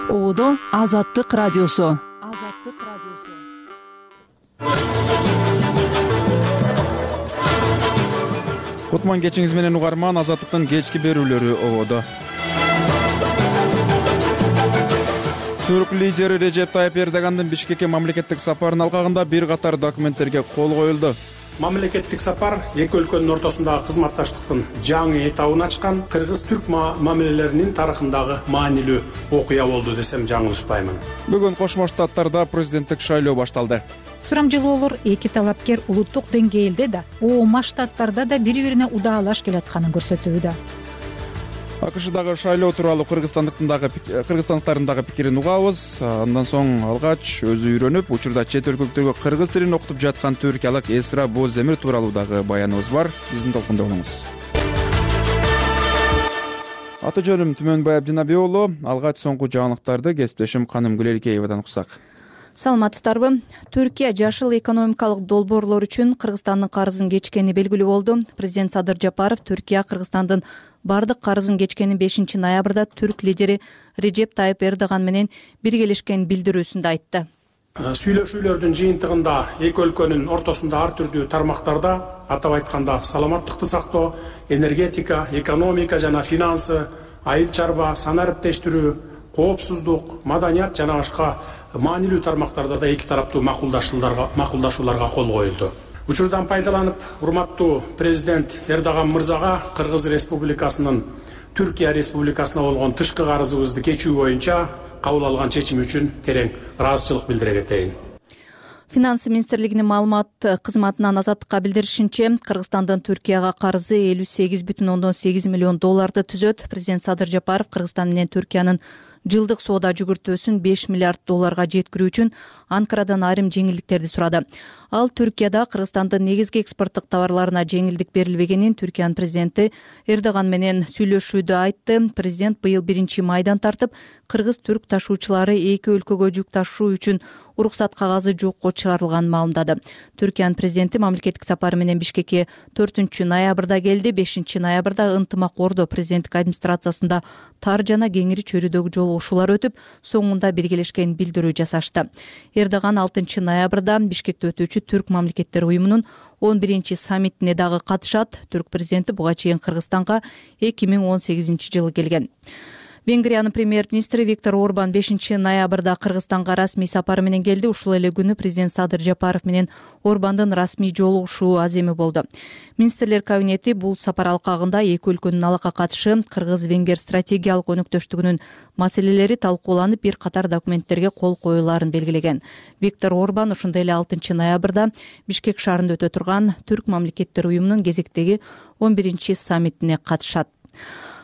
Оодо Азаттык радиосу. Кутман кечиңиз менен угарман, Азаттыктын кечки берүүлөрү ободо. Түрк лидери Режеп Тайып Эрдогандын Бишкекке мамлекеттик сапарынын алкагында бир катар документтерге кол коюлду. Мамлекеттик сапар эки өлкөнүн ортосундагы кызматташтыктын жаңы этабын ачкан кыргыз-түрк мамилелеринин тарыхындагы маанилүү окуя болду десем жаңылышпаймын. Бүгүн Кошмо Штаттарда президенттик шайлоо башталды. Сурамжылоолор эки талапкер улуттук деңгээлде да, ООМ штаттарда да бири-бирине удаалаш келатканын көрсөтүүдө. АКШдагы шайлоо тууралуу кыргызстандыктардын дагы пикирин угабыз. Андан соң алгач өзү үйрөнүп, учурда чет өлкөлүктөргө кыргыз тилин окутуп жаткан түркиялык Эсра Боздемир тууралуу дагы баяныбыз бар. Биздин толкунда болуңуз. Аты жөнүм Түмөнбай Абдинаби уулу. Алгач соңку жаңылыктарды кесиптешим Каным Гүлелкеевадан уксак. Саламатсыздарбы? Түркия жашыл экономикалык долбоорлор үчүн Кыргызстандын карызын кечкени белгилүү болду. Президент Садыр Жапаров Түркия Кыргызстандын бардык карызын кечкени 5 ноябрда түрк лидери Режеп Тайып Эрдоган менен биргелешкен билдирүүсүндө айтты. Сүйлөшүүлөрдүн жыйынтыгында эки өлкөнүн ортосунда ар түрдүү тармактарда, атап айтканда саламаттыкты сактоо, энергетика, экономика жана финансы, айыл чарба, сан ариптештирүү, коопсуздук, маданият жана башка маанилүү тармактарда да эки тараптуу макулдашууларга кол коюлду. Учурдан пайдаланып, урматтуу президент Эрдоган мырзага Кыргыз Республикасынын Түркия Республикасына болгон тышкы карызыбызды кечүү боюнча кабыл алган чечим үчүн терең ыраазычылык билдире кетейин. Финансы министрлигинин маалымат кызматынан Азаттыкка билдиришинче, Кыргызстандын Түркияга карызы 58,8 миллион долларды түзөт. Президент Садыр Жапаров Кыргызстан менен Түркиянын жылдык соода жүгүртүүсүн 5 миллиард долларга жеткирүү үчүн Анкарадан айрым жеңилдиктерди сурады. Ал Түркияда Кыргызстандын негизги экспорттук товарларына жеңилдик берилбегенин Түркиянын президенти Эрдоган менен сүйлөшүүдө айтты. Президент быйыл 1-майдан тартып кыргыз-түрк ташуучулары эки өлкөгө жүк ташуу үчүн уруксат кагазы жокко чыгарылганын маалымдады. Түркиянын президенти мамлекеттик сапары менен Бишкекке 4-ноябрда келди. 5-ноябрда ынтымак ордо президенттик администрациясында тар жана кеңири чөйрөдөгү жолугушуулар өтүп, соңунда биргелешкен билдирүү жасашты. Эрдоган 6-ноябрда Бишкекте өтүүчү Түрк мамлекеттер уюмунун 11-саммитине дагы катышат. Түрк президенти буга чейин Кыргызстанга 2018-жылы келген. Венгриянын премьер-министри Виктор Орбан 5-ноябрда Кыргызстанга расмий сапары менен келди. Ушул эле күнү президент Садыр Жапаров менен Орбандын расмий жолугушуу аземи болду. Министрлер кабинети бул сапар алкагында эки өлкөнүн алакка катышы, кыргыз-венгер стратегиялык өнөктөштүгүнүн маселелери талкууланып, бир катар документтерге кол коюлаарын белгилеген. Виктор Орбан ошондой эле 6-ноябрда Бишкек шаарында өтө турган Түрк мамлекеттер уюмунун кезектеги 11-саммитине катышат.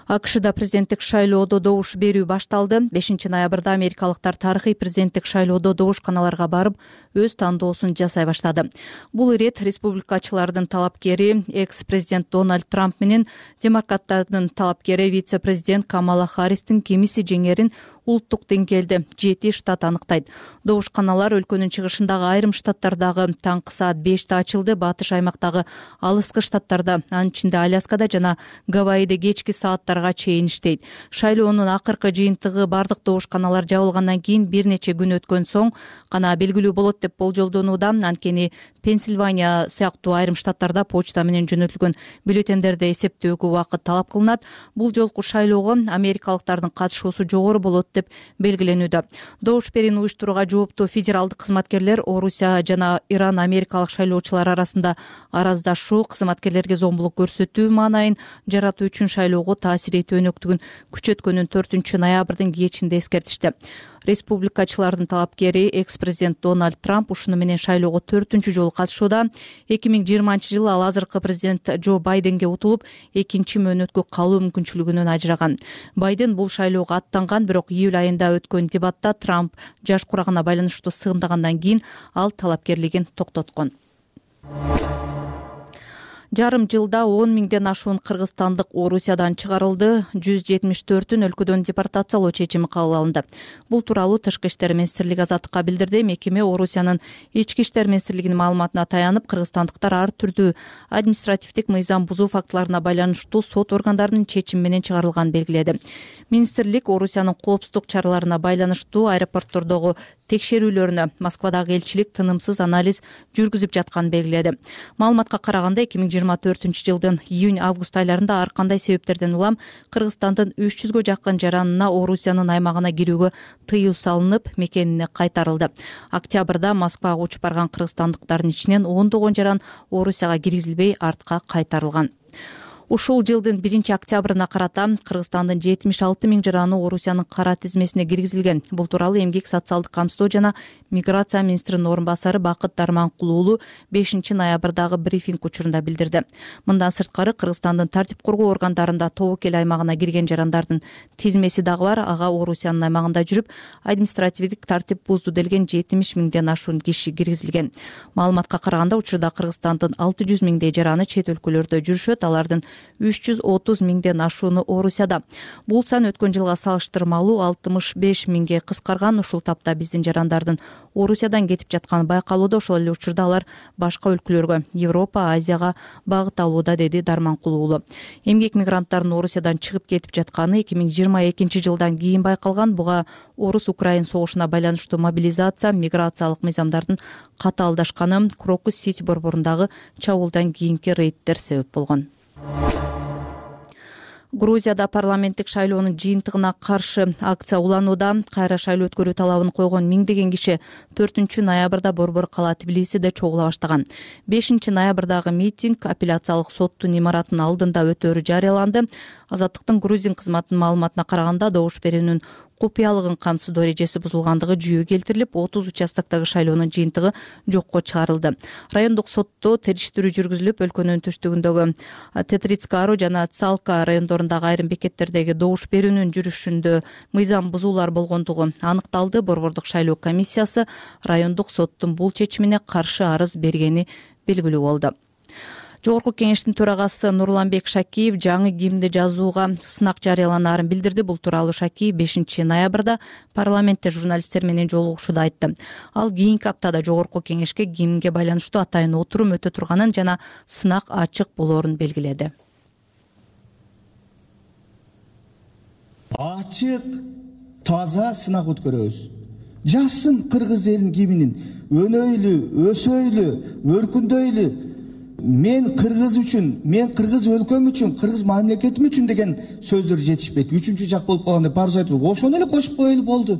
АКШда президенттик шайлоодо добуш берүү башталды. 5-ноябрда америкалыктар тарыхый президенттик шайлоодо добушканаларга барып, өз тандоосун жасай баштады. Бул ирет республикачылардын талапкери экс-президент Дональд Трамп менен демократтардын талапкери вице-президент Камала Харристин кимиси жеңерин улуттук деңгээлде 7 штат аныктайт. Добушканалар өлкөнүн чыгышындагы айрым штаттардагы таңкы саат 5-те ачылды. Батыш аймактагы алыскы штаттарда, анын ичинде Аляскада жана Гавайиде кечки сааттарга чейин иштейт. Шайлоонун акыркы жыйынтыгы бардык добушканалар жабылгандан кийин бир нече күн өткөн соң гана белгилүү болот деп болжолдонууда. Анткени Пенсильвания сыяктуу айрым штаттарда почта менен жөнөтүлгөн бюллетендерди эсептөөгө убакыт талап кылынат. Бул жолку шайлоого америкалыктардын катышуусу жогору болот деп белгиленүүдө. Добуш берүүнү уюштурууга жооптуу федералдык кызматкерлер Орусия жана Иран америкалык шайлоочулар арасында араздашуу, кызматкерлерге зомбулук көрсөтүү маанайын жаратуу үчүн шайлоого таасир этүү өнөктүгүн күчөткөнүн 4-ноябрдын кечинде эскертишти. Республикачылардын талапкери экс-президент Дональд Трамп ушуну менен шайлоого 4-жолу катышууда. 2020-жылы ал азыркы президент Джо Байденге утулуп, 2-мөөнөткө калуу мүмкүнчүлүгүнөн ажыраган. Байден бул шайлоого аттанган, бирок июль айында өткөн дебатта Трамп жаш курагына байланыштуу сыгындагандан кийин ал талапкерлигин токтоткон. Жарым жылда 10 миңден ашуун кыргызстандык Орусиядан чыгарылды. 174-ün өлкөдөн депортациялоо чечими кабыл алынды. Бул тууралуу Тышкы иштер министрлиги Азаттыкка билдирди. Мекеме Орусиянын ички иштер министрлигинин маалыматына таянып, кыргызстандыктар ар түрдүү административдик мыйзам бузуу фактыларына байланыштуу сот органдарынын чечими менен чыгарылганын белгиледи. Министрлик Орусиянын коопсуздук чараларына байланыштуу аэропорттордогу текшерүүлөрүнө Москвадагы элчилик тынымсыз анализ жүргүзүп жатканын белгиледи. Маалыматка караганда 2024-жылдын июнь-август айларында ар кандай себептерден улам Кыргызстандын 300гө жакын жаранына Орусиянын аймагына кирүүгө тыюу салынып, мекенине кайтарылды. Октябрда Москвага учуп барган кыргызстандыктардын ичинен ондогон жаран Орусияга киргизилбей артка кайтарылган. Ушул жылдын 1-октябрына карата Кыргызстандын 76 000 жараны Орусиянын кара тизмесине киргизилген. Бул тууралуу Эмгек социалдык камсыздоо жана миграция министринин орун басары Бакыт Дарманкул уулу 5-ноябрдагы брифинг учурунда билдирди. Мындан сырткары Кыргызстандын тартип коргоо органдарында тобокел аймагына кирген жарандардын тизмеси дагы бар. Ага Орусиянын аймагында жүрүп, административдик тартип бузду делген 70 000ден ашуун киши киргизилген. Маалыматка караганда учурда Кыргызстандын 600 000дей жараны чет өлкөлөрдө жүрүшөт. Алардын 330 000ден ашууну Орусияда. Бул сан өткөн жылга салыштырмалуу 65 000ге кыскарган. Ушул тапта биздин жарандардын Орусиядан кетип жатканы байкалууда. Ошол эле учурда алар башка өлкөлөргө, Европа, Азияга багыт алууда, деди Дарманкул уулу. Эмгек мигранттарынын Орусиядан чыгып кетип жатканы 2022-жылдан кийин байкалган. Буга Орус-Украин согушуна байланыштуу мобилизация, миграциялык мыйзамдардын катаалдашканы, Крокус-Сити борборундагы чабуулдан кийинки рейдтер себеп болгон. Грузияда парламенттик шайлоонун жыйынтыгына каршы акция уланууда. Кайра шайлоо өткөрүү талабын койгон миңдеген киши 4-ноябрда борбор кала Тбилисиде чогула баштаган. 5-ноябрдагы митинг апелляциялык соттун имаратынын алдында өтөөрү жарыяланды. Азаттыктын грузин кызматынын маалыматына караганда добуш берүүнүн купуялыгын камсыздоо эрежеси бузулгандыгы жүйө келтирилип, 30 участоктогу шайлоонун жыйынтыгы жокко чыгарылды. Райондук сотто териштирүү жүргүзүлүп, өлкөнүн түштүгүндөгү Тетрицкаро жана Цалка райондорундагы айрым бекеттердеги добуш берүүнүн жүрүшүндө мыйзам бузуулар болгондугу аныкталды. Борбордук шайлоо комиссиясы райондук соттун бул чечимине каршы арыз бергени белгилүү болду. Жогорку кеңештин төрагасы Нурланбек Шакиев жаңы гимнди жазууга сынак жарыяланаарын билдирди. Бул тууралуу Шакиев 5-ноябрда парламентте журналисттер менен жолугушууда айтты. Ал кийинки аптада жогорку кеңешке гимнге байланыштуу атайын отурум өтө турганын жана сынак ачык болоорун белгиледи. Ачык, таза сынак өткөрөбүз. Жазсын кыргыз элинин гимнин. Өнөйлү, өсөйлү, өркүндөйлү. Мен кыргыз үчүн, мен кыргыз өлкөм үчүн, кыргыз мамлекетим үчүн деген сөздөр жетишпейт. Үчүнчү жак болуп калганда парыз айтып, ошону эле кошуп коелу болду.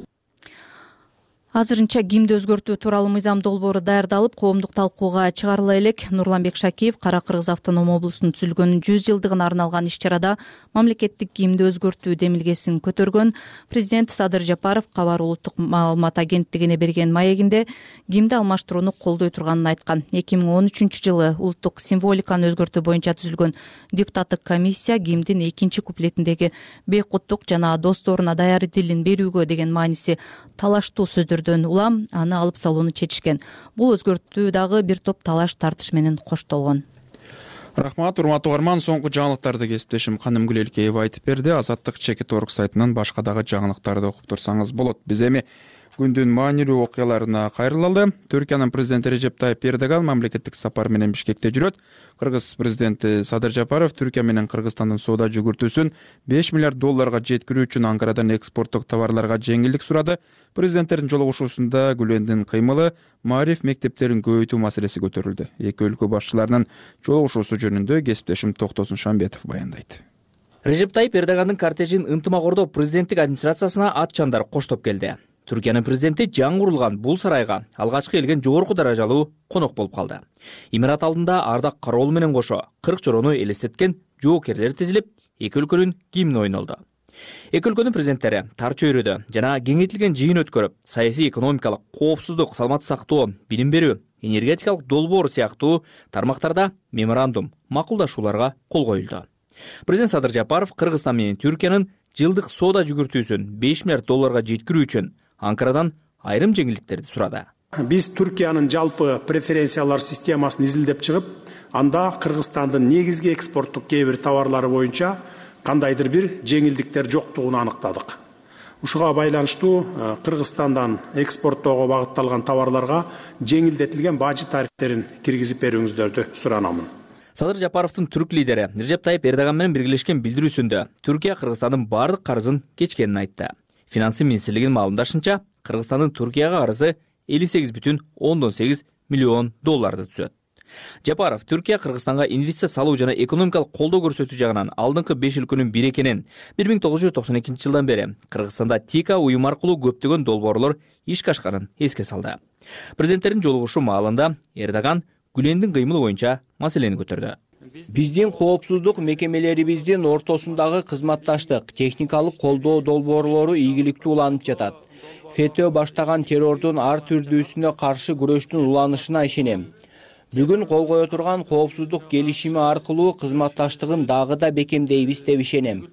Азырынча гимнди өзгөртүү тууралуу мыйзам долбоору даярдалып, коомдук талкууга чыгарыла элек. Нурланбек Шакиев Кара Кыргыз автоном облусунун түзүлгөнүнүн 100 жылдыгына арналган иш-чарада мамлекеттик гимнди өзгөртүү демилгесин көтөргөн. Президент Садыр Жапаров Кабар улуттук маалымат агенттигине берген маегинде гимнди алмаштырууну колдой турганын айткан. 2013-жылы улуттук символиканы өзгөртүү боюнча түзүлгөн депутаттык комиссия гимндин экинчи куплетиндеги бейкуттук жана досторуна даяр дилин берүүгө деген мааниси талаштуу сөздөр улам аны алып салууну чечишкен. Бул өзгөртүү дагы бир топ талаш тартыш менен коштолгон. Рахмат, урматтуу угарман, соңку жаңылыктарды кесиптешим Канымгүл Элкеева айтып берди. Азаттык Чекит.org сайтынан башка дагы жаңылыктарды окуп турсаңыз болот. Биз эми күндүн маанилүү окуяларына кайрылалы. Түркиянын президенти Режеп Тайып Эрдоган мамлекеттик сапар менен Бишкекте жүрөт. Кыргыз президенти Садыр Жапаров Түркия менен Кыргызстандын соода жүгүртүүсүн $5 миллиард жеткирүү үчүн Анкарадан экспорттук товарларга жеңилдик сурады. Президенттердин жолугушуусунда Гүлендин кыймылы, маариф мектептерин көбөйтүү маселеси көтөрүлдү. Эки өлкө башчыларынын жолугушуусу жөнүндө кесиптешим Токтосун Шамбетов баяндайт. Режеп Тайып Эрдогандын кортежин ынтымак-ордоо президенттик администрациясына ат чандар коштоп келди. Түркиянын президенти жаңы курулган бул сарайга алгачкы келген жогорку даражалуу конок болуп калды. Имарат алдында ардак кароолу менен кошо 40 чорону элестеткен жоокерлер тизилип, эки өлкөнүн гимни ойнолду. Эки өлкөнүн президенттери тар чөйрөдө жана кеңейтилген жыйын өткөрүп, саясий, экономикалык, коопсуздук, саламаттык сактоо, билим берүү, энергетикалык долбоор сыяктуу тармактарда меморандум, макулдашууларга кол коюлду. Президент Садыр Жапаров Кыргызстан менен Түркиянын жылдык соода жүгүртүүсүн $5 миллиард жеткирүү үчүн Анкарадан айрым жеңилдиктерди сурады. Биз Түркиянын жалпы преференциялар системасын изилдеп чыгып, анда Кыргызстандын негизги экспорттук кээ бир товарлары боюнча кандайдыр бир жеңилдиктер жоктугун аныктадык. Ушуга байланыштуу Кыргызстандан экспорттоого багытталган товарларга жеңилдетилген бажы тарифтерин киргизип берүүңүздөрдү суранамын. Садыр Жапаровдун түрк лидери Режеп Тайып Эрдоган менен биргелешкен билдирүүсүндө Түркия Кыргызстандын бардык карызын кечкенин айтты. Финансы министрлигинин маалымдашынча, Кыргызстандын Түркияга карызы 58,8 миллион долларды түзөт. Жапаров Түркия Кыргызстанга инвестиция салуу жана экономикалык колдоо көрсөтүү жагынан алдыңкы 5 өлкөнүн бири экенин, 1992 жылдан бери Кыргызстанда ТИКА уюм аркылуу көптөгөн долбоорлор ишке ашканын эске салды. Президенттердин жолугушуу маалында Эрдоган Гүлендин кыймылы боюнча маселени көтөрдү. Биздин коопсуздук мекемелерибиздин ортосундагы кызматташтык, техникалык колдоо долбоорлору ийгиликтүү уланып жатат. ФЭТÖ баштаган террордун ар түрдүүсүнө каршы күрөштүн уланышына ишенем. Бүгүн кол кое турган коопсуздук келишими аркылуу кызматташтыгын дагы да бекемдейбиз деп ишенем.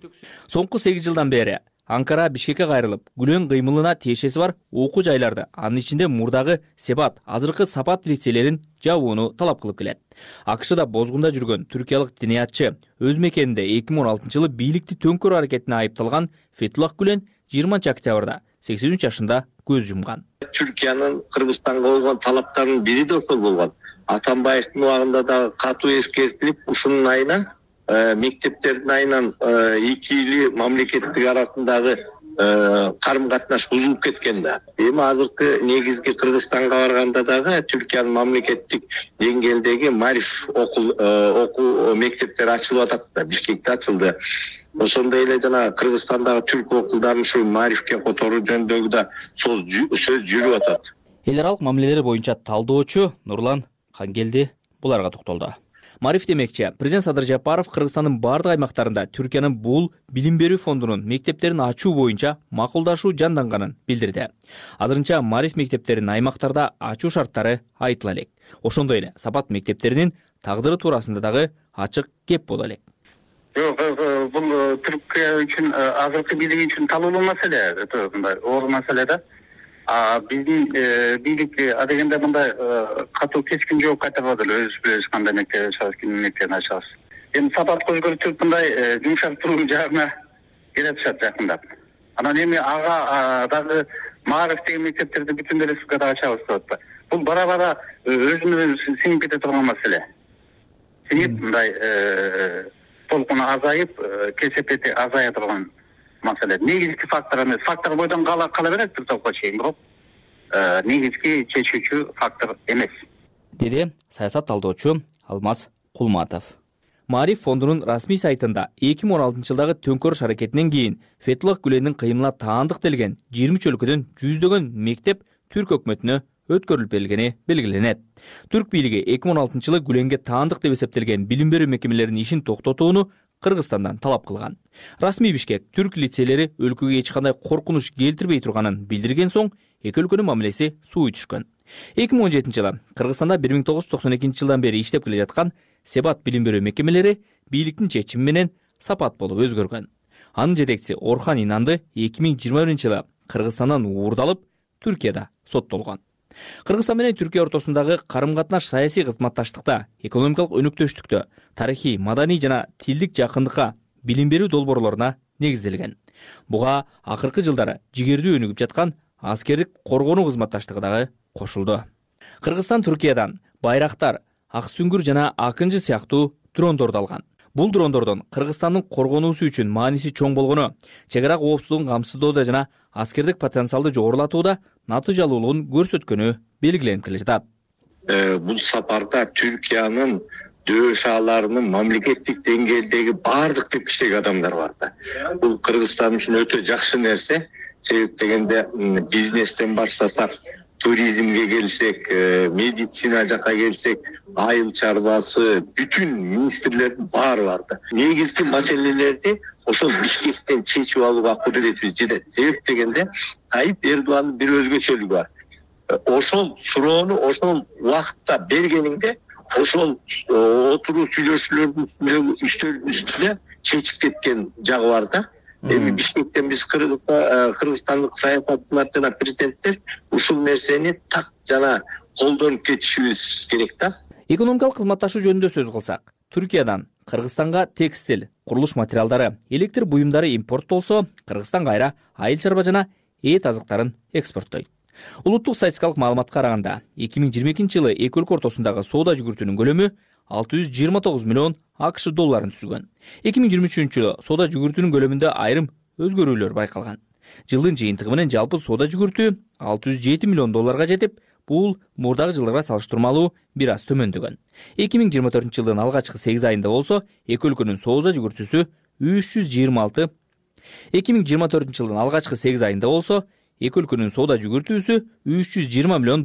Соңку 8 жылдан бери Анкара Бишкекке кайрылып, Гүлен кыймылына тиешеси бар окуу жайларды, анын ичинде мурдагы Себат, азыркы Сапат лицейлерин жабууну талап кылып келет. АКШда бозгунда жүргөн түркиялык диниятчы өз мекенинде 2016 жылы бийликти төңкөрүү аракетине айыпталган Фетуллах Гүлен 20 октябрда 83 жашында көз жумган. Түркиянын Кыргызстанга койгон талаптарынын бири да ошол болгон. Атамбаевдин убагында да катуу эскертилип, ушунун айынан мектептердин айынан эки эли мамлекеттик арасындагы карым-катнаш бузулуп кеткен да. Эми азыркы негизги Кыргызстанга барганда дагы Түркиянын мамлекеттик деңгээлдеги Мариф окуу мектептери ачылып атат да, Бишкекте ачылды. Ошондой эле жана Кыргызстандагы түрк окулдарын ушу Марифке которуу жөнүндөгү да сөз жүрүп атат. Эл аралык мамилелер боюнча талдоочу Нурлан Кангелди буларга токтолду. Мариф демекчи, президент Садыр Жапаров Кыргызстандын бардык аймактарында Түркиянын бул билим берүү фондунун мектептерин ачуу боюнча макулдашуу жанданганын билдирди. Азырынча Мариф мектептерин аймактарда ачуу шарттары айтыла элек. Ошондой эле Сапат мектептеринин тагдыры туурасында дагы ачык кеп боло элек. Бул Түркия үчүн азыркы бийлик үчүн талоолуу маселе, оор маселе да. Биздин бийлик адегенде мындай катуу кескин жооп кайтарбады эле, өзүбүз билебиз кандай мектеп ачабыз, кимдин мектебин ачабыз. Эми Сапатка өзгөртүп мындай жумшак туруу жагына келе атышат жакындап. Анан эми ага дагы Мариф деген мектептерди бүтүн республикада ачабыз деп атат. Бул бара-бара өзүнө сиңип кете турган маселе. Сиңип мындай толкуну азайып, кесепети азая турган маселе. Негизги фактор эмес. Фактор бойдон кала берет бир топко чейин, бирок негизги чечүүчү фактор эмес, деди саясат талдоочу Алмаз Кулматов. Мариф фондунун расмий сайтында 2016 жылдагы төңкөрүш аракетинен кийин Фетуллах Гүлендин кыймылына таандык делген 23 өлкөдөн жүздөгөн мектеп түрк өкмөтүнө өткөрүлүп берилгени белгиленет. Түрк бийлиги 2016 жылы Гүленге таандык деп эсептелген билим берүү мекемелеринин ишин токтотууну Кыргызстандан талап кылган. Расмий Бишкек түрк лицейлери өлкөгө эч кандай коркунуч келтирбей турганын билдирген соң эки өлкөнүн мамилеси сууй түшкөн. 2017 жылы Кыргызстанда 1992 жылдан бери иштеп келе жаткан Себат билим берүү мекемелери бийликтин чечими менен Сапат болуп өзгөргөн. Анын жетекчиси Орхан Инанды 2021 жылы Кыргызстандан уурдалып, Түркияда соттолгон. Кыргызстан менен Түркия ортосундагы карым-катнаш саясий кызматташтыкта, экономикалык өнүктөштүктө, тарыхый, маданий жана тилдик жакындыкка, билим берүү долбоорлоруна негизделген. Буга акыркы жылдары жигердүү өнүгүп жаткан аскердик коргонуу кызматташтыгы дагы кошулду. Кыргызстан Түркиядан Байрактар, Ак Сүңгүр жана Акынжы сыяктуу дрондорду алган. Бул дрондордун Кыргызстандын коргонуусу үчүн мааниси чоң болгону, чек ара коопсуздугун камсыздоодо жана аскердик потенциалды жогорулатууда натыйжалуулугун көрсөткөнү белгиленип келе жатат. Бул сапарда Түркиянын дөшаларынын мамлекеттик деңгээлдеги бардык тепкичтеги адамдар бар да. Бул Кыргызстан үчүн өтө жакшы нерсе. Себеп дегенде бизнестен баштасак, туризмге келсек, медицина жака келсек, айыл чарбасы, бүтүн министрлердин баары бар да. Негизги маселелерди ошол Бишкектен чечип алууга кудуретибиз жетет. Себеп дегенде Тайып Эрдогандын бир өзгөчөлүгү бар. Ошол суроону ошол убакытта бергениңде, ошол отуруу сүйлөшүүлөрдүн үстөлдүн үстүнө чечип кеткен жагы бар да. Эми Бишкектен биз кыргызстандык саясатчылар жана президенттер ушул нерсени так жана колдонуп кетишибиз керек да. Экономикалык кызматташуу жөнүндө сөз кылсак, Түркиядан Кыргызстанга текстиль, курулуш материалдары, электр буюмдары импорттолсо, Кыргызстан кайра айыл чарба жана эт азыктарын экспорттойт. Улуттук статистикалык маалыматка караганда, 2022 жылы эки өлкө ортосундагы соода жүгүртүүнүн көлөмү $629 миллион АКШ долларын түзгөн. 2023-жылы соода жүгүртүүнүн көлөмүндө айрым өзгөрүүлөр байкалган. Жылдын жыйынтыгы менен жалпы соода жүгүртүү $607 миллион жетип, бул мурдагы жылдарга салыштырмалуу бир аз төмөндөгөн. 2024-жылдын алгачкы 8 айында болсо, эки өлкөнүн соода жүгүртүүсү 326. 2024-жылдын алгачкы 8 айында болсо, эки өлкөнүн соода жүгүртүүсү $320 миллион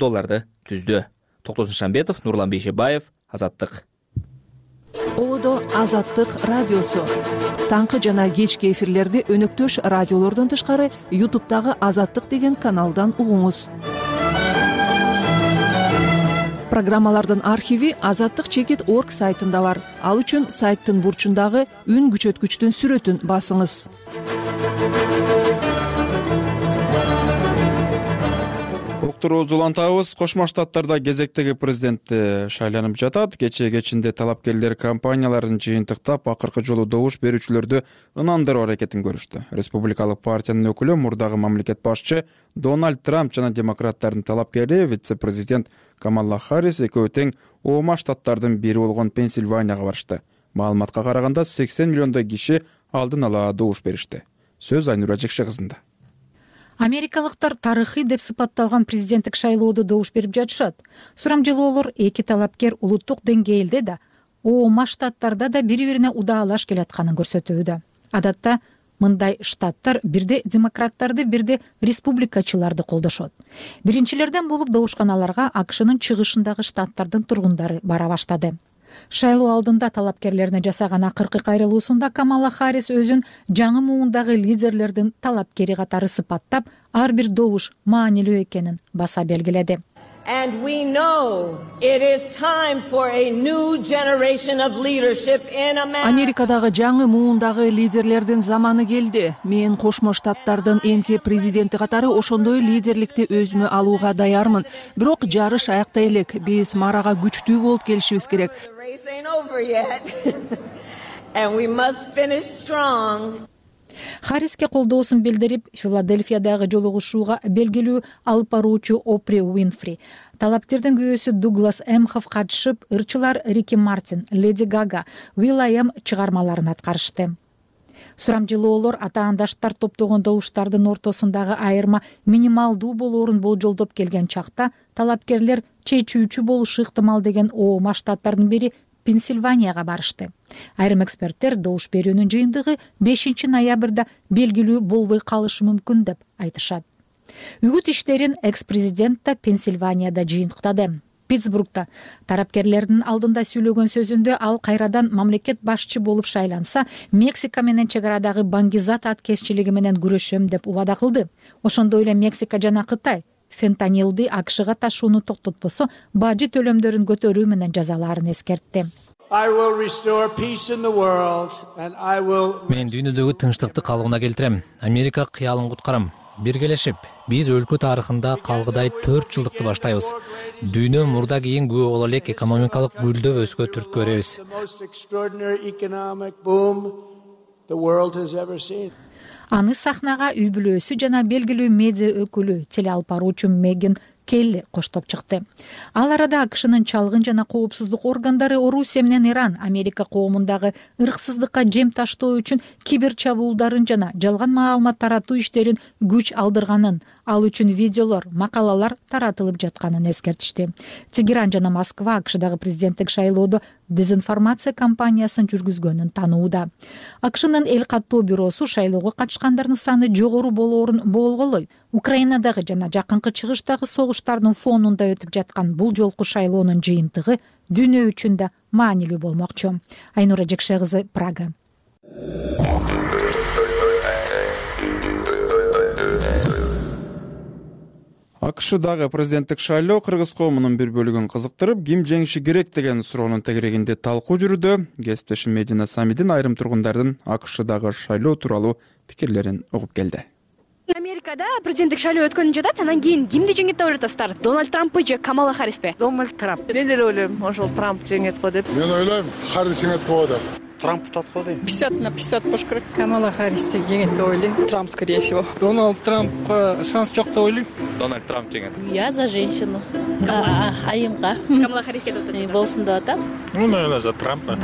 түздү. Токтосун Шамбетов, Нурлан Бейшебаев, Азаттык. Ободо Азаттык радиосу. Таңкы жана кечки эфирлерди өнөктөш радиолордон тышкары YouTube'дагы Азаттык деген каналдан угуңуз. Программалардын архиви azattik.org сайтында бар. Ал үчүн сайттын бурчундагы үн күчөткүчтүн сүрөтүн басыңыз. Уктурууну улантабыз. Кошмо Штаттарда кезектеги президентти шайланып жатат. Кечинде талапкерлер компанияларын жыйынтыктап, акыркы жолу добуш берүүчүлөрдү ынандыруу аракетин көрүштү. Республикалык партиянын өкүлү, мурдагы мамлекет башчы Дональд Трамп жана демократтардын талапкери вице-президент Камала Харрис экөө тең Оома Штаттардын бири болгон Пенсильванияга барышты. Маалыматка караганда 80 миллиондой киши алдын ала добуш беришти. Сөз Айнура Жекше кызында. Америкалыктар тарыхый деп сыпатталган президенттик шайлоодо добуш берип жатышат. Сурамжылоолор эки талапкер улуттук деңгээлде да, Оома Штаттарда да бири-бирине удаалаш келатканын көрсөтүүдө. Адатта мындай штаттар бирде демократтарды, бирде республикачыларды колдошот. Биринчилерден болуп добушканаларга АКШнын чыгышындагы штаттардын тургундары бара баштады. Шайлоо алдында талапкерлерине жасаган акыркы кайрылуусунда Камала Харрис өзүн жаңы муундагы лидерлердин талапкери катары сыпаттап, ар бир добуш маанилүү экенин баса белгиледи. Америкадагы жаңы муундагы лидерлердин заманы келди. Мен Кошмо Штаттардын эмки президенти катары ошондой лидерликти өзүмө алууга даярмын. Бирок жарыш аякта элек. Биз марага күчтүү болуп келишибиз керек. Харриске колдоосун билдирип, Филадельфиядагы жолугушууга белгилүү алып баруучу Опри Уинфри, талапкердин күйөөсү Дуглас Эмхов катышып, ырчылар Рики Мартин, Леди Гага, Will.i.am чыгармаларын аткарышты. Сурамжылоолор атаандаштар топтогон добуштардын ортосундагы айырма минималдуу болоорун болжолдоп келген чакта, талапкерлер чечүүчү болушу ыктымал деген Оома Штаттардын бири Пенсильванияга барышты. Айрым эксперттер добуш берүүнүн жыйынтыгы 5 ноябрда белгилүү болбой калышы мүмкүн деп айтышат. Үгүт иштерин экс-президент да Пенсильванияда жыйынтыктады. Питтсбургда тарапкерлердин алдында сүйлөгөн сөзүндө ал кайрадан мамлекет башчы болуп шайланса, Мексика менен чек арадагы баңгизат аткезчилиги менен күрөшөм деп убада кылды. Ошондой эле Мексика жана Кытай фентанилди АКШга ташууну токтотпосо, бажы төлөмдөрүн көтөрүү менен жазалаарын эскертти. Мен дүйнөдөгү тынчтыкты калыбына келтирем. Америка кыялын куткарам. Биргелешип, биз өлкө тарыхында калгыдай 4 жылдыкты баштайбыз. Дүйнө мурда кийин күбө боло элек экономикалык гүлдөбөскө түрткү беребиз. Аны сахнага үй бүлөсү жана белгилүү медиа өкүлү, теле алып баруучу Меган Келли коштоп чыкты. Ал арада АКШнын чалгын жана коопсуздук органдары Орусия менен Иран Америка коомундагы ырксыздыкка жем таштоо үчүн кибер чабуулдарын жана жалган маалымат таратуу иштерин күч алдырганын, ал үчүн видеолор, макалалар таратылып жатканын эскертишти. Тегеран жана Москва АКШдагы президенттик шайлоодо дезинформация кампаниясын жүргүзгөнүн таанууда. АКШнын эл каттоо бюросу шайлоого катышкандардын саны жогору болоорун болголой, Украинадагы жана жакынкы чыгыштагы согуштардын фонунда өтүп жаткан бул жолку шайлоонун жыйынтыгы дүйнө үчүн да маанилүү болмокчу. Айнура Жекше кызы, Прага. АКШдагы президенттик шайлоо кыргыз коомунун бир бөлүгүн кызыктырып, ким жеңиши керек деген суроонун тегерегинде талкуу жүрүүдө. Кесиптешим Медина Самидин айрым тургундардын АКШдагы шайлоо тууралуу пикирлерин угуп келди. Америкада президенттик шайлоо өткөнүп жатат, анан кийин кимди жеңет деп ойлотосуздар? Дональд Трамппы же Камала Харриспи? Дональд Трамп. Мен эле ойлойм, ошол Трамп жеңет го деп. Мен ойлойм, Харрис жеңет го деп. Трамп тутат го дейм. 50/50 болуш керек. Камала Харрис жеңет деп ойлойм. Трамп, скорее всего. Дональд Трампка шанс жок деп ойлойм. Дональд Трамп жеңет. Я за женщину. айымга Камала Харрис кетип атат. болсун деп атам. Наверное, за Трампа.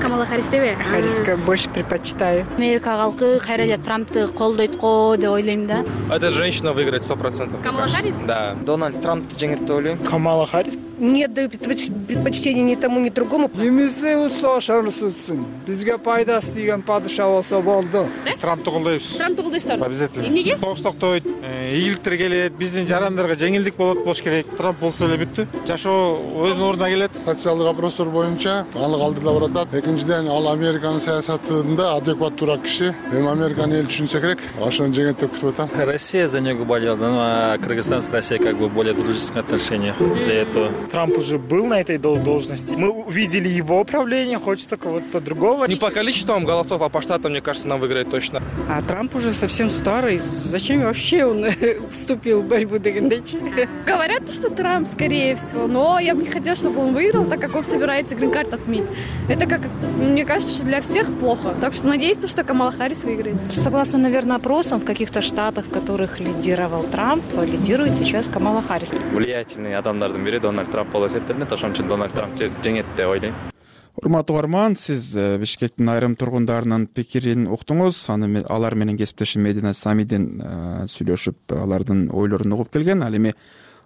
Камала Харристеби? Харриска больше предпочитаю. Америка калкы кайра эле Трампты колдойт го деп ойлойм да. Эта женщина выиграет 100%. Камала Харрис? Да. Дональд Трампты жеңет деп ойлойм. Камала Харрис? Не даю предпочтения ни тому, ни другому. Эмесе болсо ошонусусун. Бизге пайдасы тийген падыша болсо болду. Биз Трампты колдойбуз. Трампты колдойсуздарбы? Обязательно. Эмнеге? Согуш токтойт, ийгиликтер келет, биздин жарандарга жеңилдик болуш керек. Трамп болсо эле бүттү. Жашоо өзүнүн ордуна келет. Социалдык вопростор боюнча аны калтырда баратат. Экинчиден, ал Американын саясатында адекваттуураак киши. Эми Американы эл түшүнсө керек. Ошону жеңет деп күтүп атам. Россия за него болела, но Кыргызстан с Россией как бы более дружественных отношениях из-за этого. Трамп уже был на этой должности. Мы увидели его правление, хочется кого-то другого. Не по количеству голосов, а по штатам, мне кажется, нам выиграет точно. А Трамп уже совсем старый. Зачем вообще он вступил в борьбу дегендечи? Говорят, что Трамп, скорее всего, но я бы не хотела, чтобы он выиграл, так как он собирается грин-карт отменить. Это, как мне кажется, что для всех плохо. Так что надеюсь, что Камала Харрис выиграет. Согласно, наверное, опросам, в каких-то штатах, в которых лидировал Трамп, лидирует сейчас Камала Харрис. Влиятельный адамдардын бири Дональд Трамп болуп эсептелинет. Ошон үчүн Дональд Трамп жеңет деп ойлойм. Урматтуу угарман, сиз Бишкектин айрым тургундарынын пикирин уктуңуз. Алар менен кесиптешим Медина Самидин сүйлөшүп, алардын ойлорун угуп келген. Ал эми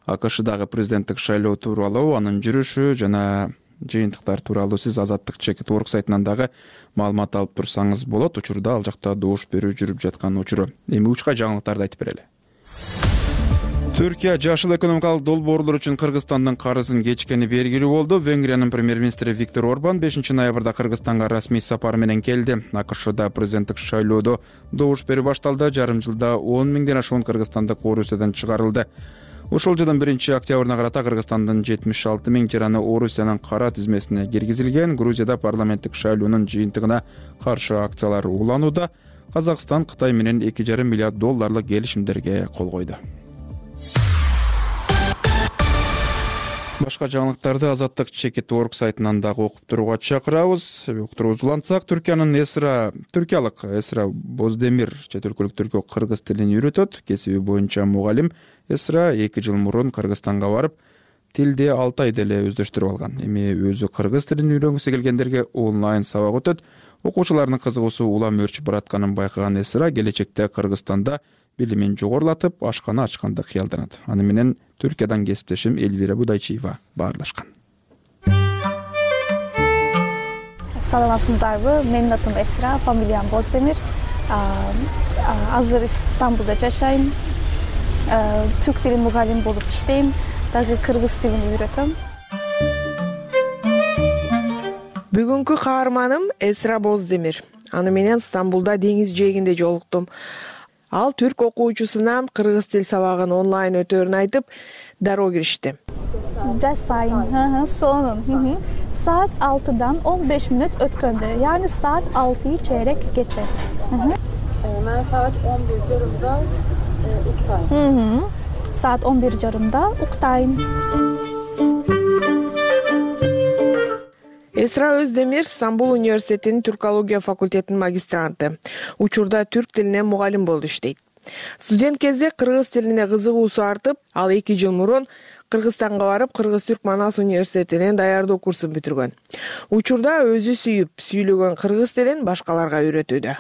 АКШдагы президенттик шайлоо тууралуу, анын жүрүшү жана жыйынтыктар тууралуу сиз Азаттык Чекит орг сайтынан дагы маалымат алып турсаңыз болот. Учурда ал жакта добуш берүү жүрүп жаткан учуру. Эми учка жаңылыктарды айтып берели. Түркия жашыл экономикалык долбоорлор үчүн Кыргызстандын карызын кечкени белгилүү болду. Венгриянын премьер-министри Виктор Орбан 5 ноябрда Кыргызстанга расмий сапар менен келди. АКШда президенттик шайлоодо добуш берүү башталды. Жарым жылда 10 миңден ашуун кыргызстандык Орусиядан чыгарылды. Ушул жылдын 1-октябрына карата Кыргызстандын 76 миң жараны Орусиянын кара тизмесине киргизилген. Грузияда парламенттик шайлоонун жыйынтыгына каршы акциялар уланууда. Казакстан Кытай менен $2,5 миллиард келишимдерге кол койду. Башка жаңылыктарды Азаттык Чекит орг сайтынан дагы окуп турууга чакырабыз. Уктуруубузду улантсак, түркиялык Эсра Боздемир чет өлкөлүк түркө кыргыз тилин үйрөтөт. Кесиби боюнча мугалим. Эсра 2 жыл мурун Кыргызстанга барып, тилди 6 айда эле өздөштүрүп алган. Эми өзү кыргыз тилин үйрөнгүсү келгендерге онлайн сабак өтөт. Окуучулардын кызыгуусу улам өрчүп баратканын байкаган Эсра келечекте Кыргызстанда билимин жогорулатып, ашкана ачканды кыялданат. Аны менен Түркиядан кесиптешим Эльвира Будайчиева баарлашкан. Саламатсыздарбы? Менин атым Эсра, фамилиям Боздемир. Азыр Стамбулда жашайм. Түрк тилин мугалим болуп иштейм. Дагы кыргыз тилин үйрөтөм. Бүгүнкү каарманым Эсра Боздемир. Аны менен Стамбулда деңиз жээгинде жолуктум. Ал түрк окуучусуна кыргыз тил сабагын онлайн өтөөрүн айтып, дароо киришти. Жашайм. Сонун. Saat 6'dan 15 minut ötköndü. Yani saat 6'yı çeyrek geçe. Ben saat 11:30'da uktayım. Saat 11:30'da uktayım. Эсра Өздемир Стамбул университетинин түркология факультетинин магистранты. Учурда түрк тилине мугалим болуп иштейт. Студент кезде кыргыз тилине кызыгуусу артып, ал 2 жыл мурун Кыргызстанга барып, Кыргыз-Түрк Манас университетинен даярдоо курсун бүтүргөн. Учурда өзү сүйүп, сүйлөгөн кыргыз тилин башкаларга үйрөтүүдө.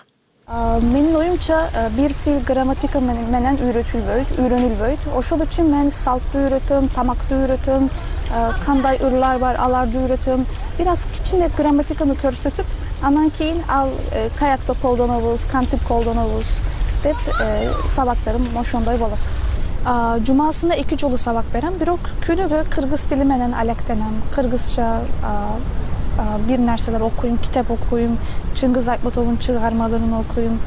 Менин оюмча бир тил грамматика менен үйрөнүлбөйт. Ошол үчүн мен салтты үйрөтөм, тамакты үйрөтөм, кандай ырлар бар, аларды үйрөтөм. Biraz кичине грамматиканы көрсөтүп, анан кийин ал каякта колдонобуз, кантип колдонобуз деп сабактарым ошондой болот. Жумасында 2 жолу сабак берем, бирок күнүгө кыргыз тили менен алектенем. Кыргызча бир нерселер окуйм, китеп окуйм, Чыңгыз Айтматовдун чыгармаларын окуйм.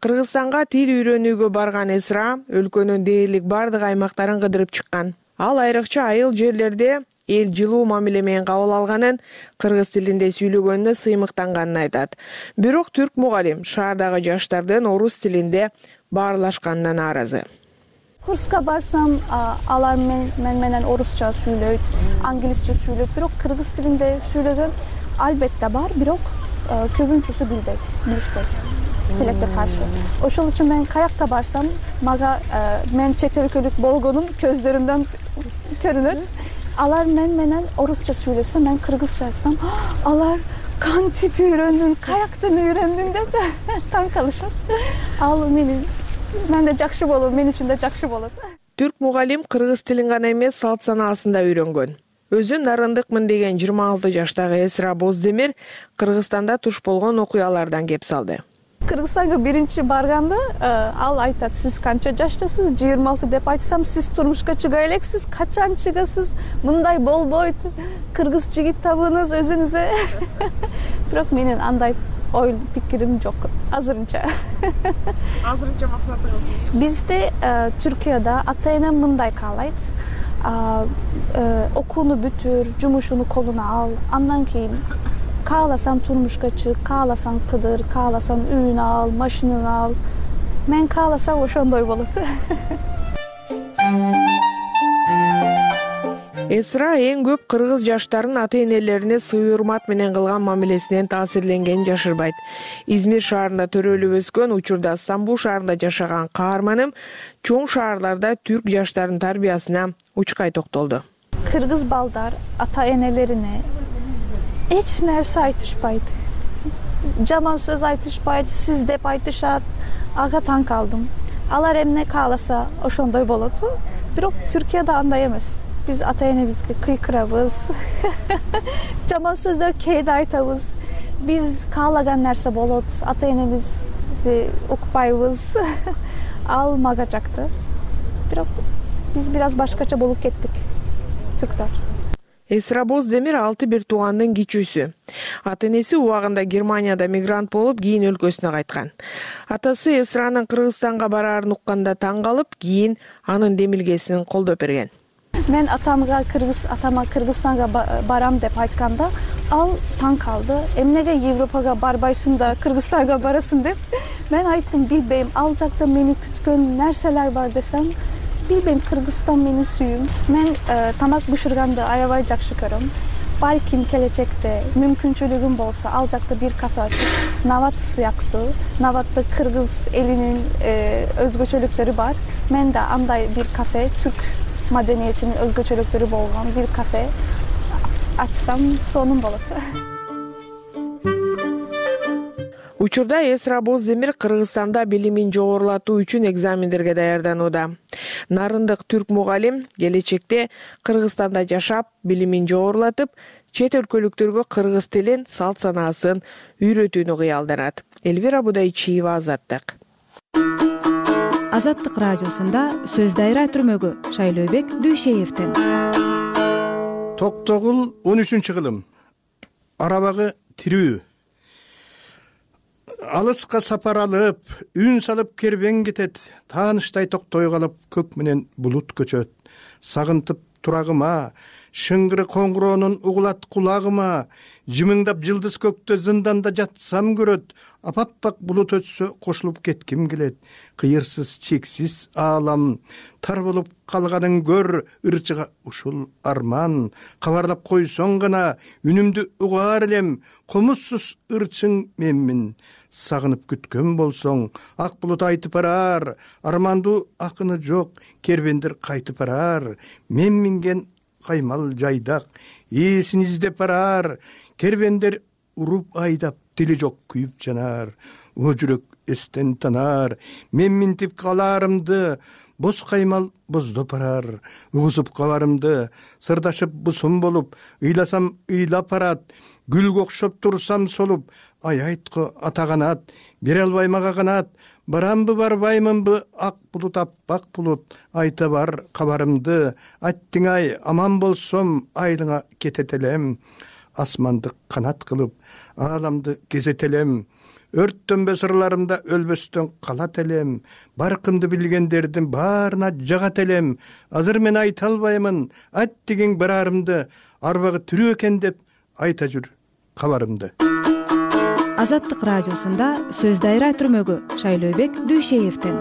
Кыргызстанга тил үйрөнүүгө барган Эсра өлкөнүн дээрлик бардык аймактарын кыдырып чыккан. Ал айрыкча айыл жерлерде эл жылуу мамиле менен кабыл алганын, кыргыз тилинде сүйлөгөнүнө сыймыктанганын айтат. Бирок түрк мугалим шаардагы жаштардын орус тилинде баарлашканына нааразы. Kurska barsam alar men menen Orusça söyleyt, Anglisçe söyleyt, birok Kırgız tilinde söylegen albatta bar, birok köpünçüsü bilişbeyt. Tilekte karşı. Oşul için ben kayakta barsam, maga men çet өлкөлүк болгонум közlerimden көрүнөт. Алар менен орусча сүйлөсө, мен кыргызча айтсам, алар кантип үйрөндүң, каяктан үйрөндүң деп таң калышат. Ал менде жакшы болот, мен үчүн да жакшы болот. Түрк мугалим кыргыз тилин гана эмес, салт санаасын да үйрөнгөн. Өзү нарындыкмын деген 26 жаштагы Эсра Боздемир Кыргызстанда туш болгон окуялардан кеп салды. Кыргызстанга биринчи барганда ал айтат, сиз канча жаштасыз? 26 деп айтсам, сиз турмушка чыга элексиз, качан чыгасыз? Мындай болбойт. Кыргыз жигит табыңыз өзүңүзгө. Бирок менин андай ой пикирим жок азырынча. Азырынча максатыңыз? Бизде Түркияда ата-энем мындай каалайт. Окууну бүтүр, жумушуну колуна ал, андан кийин кааласаң турмушка чык, кааласаң кыдыр, кааласаң үйүн ал, машинаны ал. Мен кааласам ошондой болот. Эсра эң көп кыргыз жаштарын ата-энелерине сый урмат менен кылган мамилесинен таасирленгенин жашырбайт. Измир шаарында төрөлүп өскөн, учурда Стамбул шаарында жашаган каарманым чоң шаарларда түрк жаштарынын тарбиясына учкай токтолду. Кыргыз балдар ата-энелерине эч нерсе айтышпайт. Жаман сөз айтышпайт, сиз деп айтышат. Ага таң калдым. Алар эмне кааласа ошондой болот. Бирок Түркияда андай эмес. Биз ата-энебизге кыйкырабыз. Жаман сөздөр кээде айтабыз. Биз каалаган нерсе болот. Ата-энебизди укпайбыз. Ал мага жакты. Бирок биз бир аз башкача болуп кеттик. Түрктөр. Эсра Боздемир 6 бир туугандын кичүүсү. Ата-энеси убагында Германияда мигрант болуп, кийин өлкөсүнө кайткан. Атасы Эсранын Кыргызстанга бараарын укканда таң калып, кийин анын демилгесин колдоп берген. Мен атама Кыргызстанга барам деп айтканда, ал таң калды. Эмнеге Европага барбайсың да Кыргызстанга барасың деп. Мен айттым, билбейм, ал жакта мени күткөн нерселер бар десем, билбейм, Кыргызстан менин сүйүм. Мен тамак бышырганды аябай жакшы көрөм. Балким келечекте мүмкүнчүлүгүм болсо, ал жакта бир кафе ачып, Нават сыяктуу, Наватта кыргыз элинин өзгөчөлүктөрү бар. Мен да андай бир кафе, түрк маданиятынын өзгөчөлүктөрү болгон бир кафе ачсам, сонун болот. Учурда Эсра Боздемир Кыргызстанда билимин жогорулатуу үчүн экзамендерге даярданууда. Нарындык түрк мугалим келечекте Кыргызстанда жашап, билимин жогорулатып, чет өлкөлүктөргө кыргыз тилин, салт санаасын үйрөтүүнү кыялданат. Элвира Будайчиева, Азаттык. Азаттык радиосунда сөз дайра түрмөгү Шайлообек Дүйшеевден. Токтогул 13 кылым. Арабагы тирүү. Алыска сапар алып, үн салып кербен кетет, тааныштай токтой калып, көк менен булут көчөт. Сагынтып турагыма, шыңгыры коңгуроонун угулат кулагыма, жымыңдап жылдыз көктө зынданда жатсам көрөт, апаппак булут өтсө кошулуп кетким келет. Кыйырсыз чексиз аалам, тар болуп калганын көр, ырчыга ушул арман. Кабарлап койсоң гана, үнүмдү угаар элем, комузсуз ырчың менмин. Сагынып күткөн болсоң, ак булут айтып барар, армандуу акыны жок, кербендер кайтып барар. Мен минген каймал жайдак, ээсин издеп барар, кербендер уруп айдап, тили жок күйүп жанар. О жүрөк эстен танар, мен минтип каларымды, боз каймал боздоп барар. Угузуп кабарымды, сырдашып бусум болуп, ыйласам ыйлап барат. Гүлгө окшоп турсам солуп, ай айтко атаганат, бере албай мага канат. Барамбы барбаймынбы, ак булут аппак булут, айта бар кабарымды. Аттың ай, аман болсом, айдыңа кететелем. Асманды канат кылып, ааламды кезетелем. Өрттөнбө сырларымда өлбөстөн калат элем. Баркымды билгендердин баарына жагат элем. Азыр мен айта албаймын, ат деген барарымды, арбагы тирүү экен деп айта жүр кабарымды. Азаттык радиосунда сөз дайра түрмөгү Шайлообек Дүйшеевден.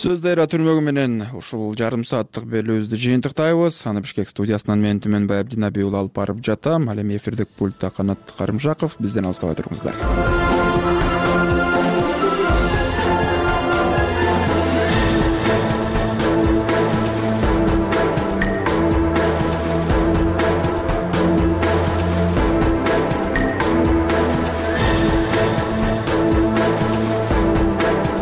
Сөз дайра түрмөгү менен ушул жарым сааттык белүүбүздү жыйынтыктайбыз. Аны Бишкек студиясынан мен Түмөнбай Абдинабиул алып барып жатам. Ал эми эфирдик пультта Канат Карымжаков. Бизден алыстабай туруңуздар.